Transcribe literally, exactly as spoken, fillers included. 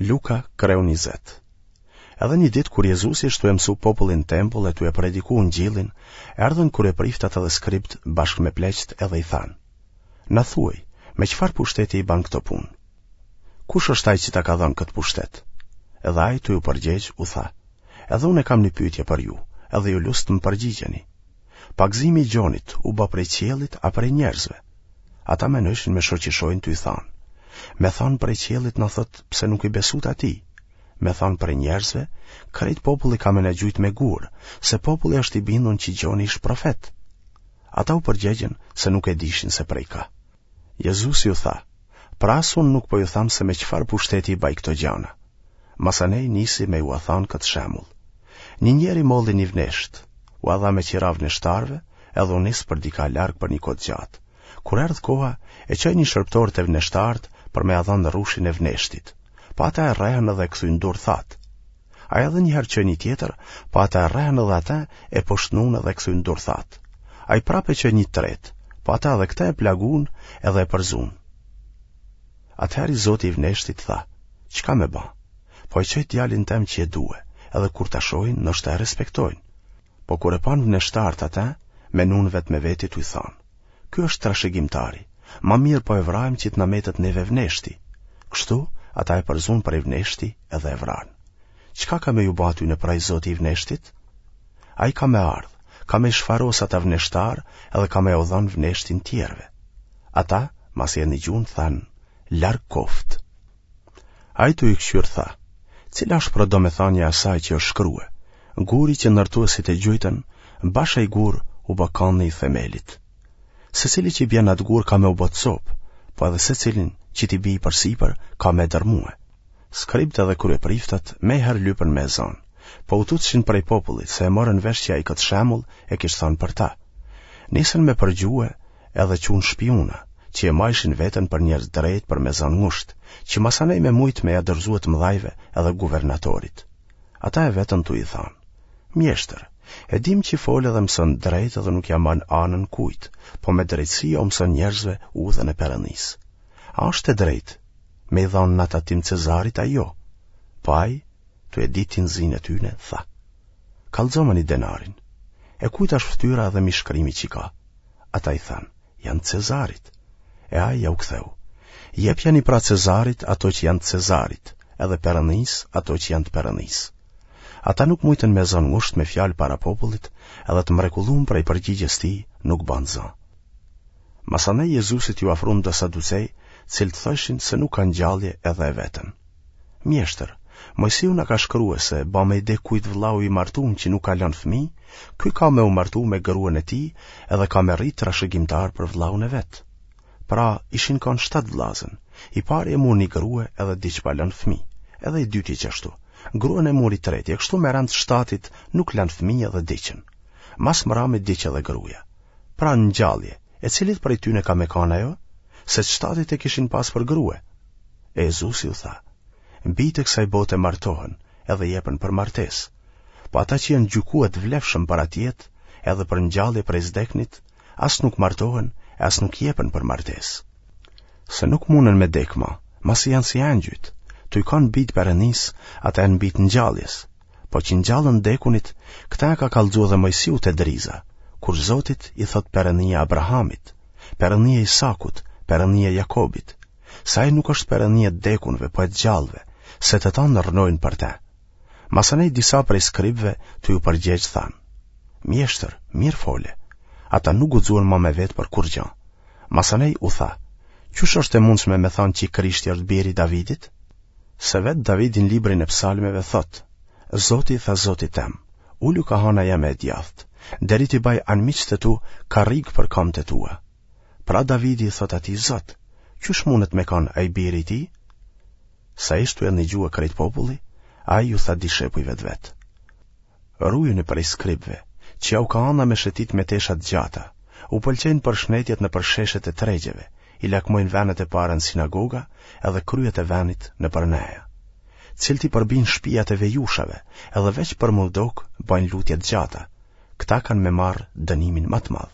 Luka, kreu njëzet. Edhe një ditë kur Jezusi ish tu e mësu popullin n'tempull e tu e prediku ungjillin, erdhën kryepriftat edhe skribt bashkë me pleqtë edhe i thanë: Na thuaj, me çfarë pushteti i ban këto punë? Kush është ai që ta ka dhënë këtë pushtet? Edhe ai tu ju përgjegj u tha: Edhe unë e kam një pyetje për ju, edhe ju lus të më përgjigjeni. Pagëzimi i Gjonit u bë prej qiellit a prej njerëzve? Ata menojshin me shoqishojnë tuj thanë. Me thanë prej qiellit na thotë pse nuk i besut atij. Me thanë prej njerëzve, krejt populli ka me na gjujt me gurë, se populli është i bindun që Gjoni ish profet. Ata u përgjegjën se nuk e dishin se prej ka. Jezusi u tha, pra as unë nuk po ju tham se me çfarë pushteti i baj këto gjana. Masanej nisi me jua thanë këtë shembull. Një njeri molli një vneshtë, ua dha me qira vneshtarëve, edhe u nis për dika larg për një kohë të gjatë. Kur erdh koha, e çoi një shërbëtor te vneshtarët për me ia dhënë rrushin e vneshtit. Po ata e rrehën edhe e kthyen durthatë. Ai edhe një herë çoi një tjetër, po ata e rrehën edhe atë e poshtnun edhe e kthyen durthatë. Ai prapë e çoi një të tretë, po ata edhe këtë e plagun edhe e përzunë. Atëherë i zoti i vneshtit tha, çka me ba? Po e çoj djalin tem që e due, edhe kur ta shohin, ndoshta e respektojnë. Po kur e panë vneshtarët atë, menun vetë me veti tuj thanë. Ky është trashëgimtari, ma mirë po e vrajmë që të na metet neve vneshti. Kështu, ata e përzunë prej vneshti edhe e vranë. Çka ka me ju ba atyne pra i zoti i vneshtit? Ai ka me ardhë, ka me i shfaros ata vneshtarë edhe ka me jau dhanë vneshtin tjerëve. Ata, masi e nigjunë, thanë, larg koftë. Ai tu i kqyrë tha, cila është pra domethanja e asaj që është shkrue, guri që ndërtuesit e gjujtën, bash ai gur u bë kandi i themelit. Secili që i bjen atë gur ka me u bë copë, po edhe secilin që t'i bijë përsipër ka me dërmue. Skribët edhe kryepriftat mejherë lypën me e zonë, po u tutshin prej popullit se e morën vesh që ai këtë shembull e kish thënë për ta. Nisën me përgjue edhe çunë shpiuna, që e majshin veten për njerëz drejt për me zanë ngusht, që masanej me mujt me ja dorëzue të mëdhajve edhe guvernatorit. Ata e vetën tu i thanë, Mjeshtër, e dim që fol edhe mëson drejt edhe nuk ja man anën kujt, po me drejtësi o mëson njerëzve udhën e Perëndisë. A është e drejtë me i dhanë na tatim Cezarit a jo? Po ai, tu e ditë tinëzinë e tyne, tha. Kallxoma një denarin. E kujt është fytyra edhe mbishkrimi që ka? Ata i thanë, janë Cezarit. E ai jau ktheu. Jepjani pra Cezarit ato që janë të Cezarit, edhe Perëndisë ato që janë të Perëndisë. Ata nuk mujtën me zonë ngusht me fjalë para popullit, edhe të mrekullum prej përgjigjes tij nuk banë zë. Masanej Jezusit iu afrun do saducej, cilët thojshin se nuk ka ngjallje edhe e vetën. Mjeshtër, Moisiu na ka shkrue se ba me i dek kujt vllau i martum që nuk ka lënë fëmijë, ky ka me u martu me gruan e tij edhe ka me rrit trashëgimtar për vllaun e vet. Pra, ishin kanë shtatë vllazën. I pari e mur një grue edhe diq pa lënë fëmijë, edhe i dyti qashtu. Gruan e mur i treti, e kështu me rend shtatit nuk lanë fëmijë edhe diqën. Mas mrami diq edhe gruaja. Pra në ngjallje, e cilit prej tyne ka me kanë ajo? Se të shtatit e kishin pas për grue. E Jezusi u tha, bijtë e kësaj bote martohen edhe jepen për martesë. Po ata që janë gjykue të vlefshëm për atë jetë, edhe për ngjallje prej s'deknit, as nuk martohen e as nuk jepen për martesë. Se nuk munden me dek ma, masi janë si engjujt, tuj kanë bijtë Perëndisë, ata janë bijtë ngjalljes. Po që ngjallen t'dekunit, këta e ka kallxu edhe Moisiu te driza, kur Zotit i thot Perëndia Abrahamit, Perëndia Isakut, Perëndia Jakobit, se ai nuk është Perëndi e të dekunve, po e të gjallëve, se të tanë rrnojnë për te. Masanej disa prej skribëve tu ju përgjegj thanë, Mjeshtër, mirë fole. Ata nuk guxuan ma me vetë për kurrgjë. Masanej u tha, qysh është e mundshme me thanë që Krishti është biri i Davidit? Se vetë Davidi në librin e psalmeve thotë, Zoti i tha Zotit tem, ulu ka hana jeme e djathtë, deri t'i baj anmiqtë e tu karrigë për kamët e tua. Pra Davidi i thot atij Zot, qysh mundet me kanë ai biri i tij? Sa ish tu e nigjue krejt populli, ai ju tha dishepujve të vet. Rujuni prej skribëve, që jau ka ana me shetit me tesha të gjata, u pëlqejnë përshnetjet nëpër sheshet e tregjeve, i lakmojnë venet e para në sinagoga edhe kryet e venit nëpër neja. Cilët i përbijnë shpijat e vejushave, edhe veç për m'u dok, bajnë lutje të gjata. Këta kanë me marrë dënimin ma të madh.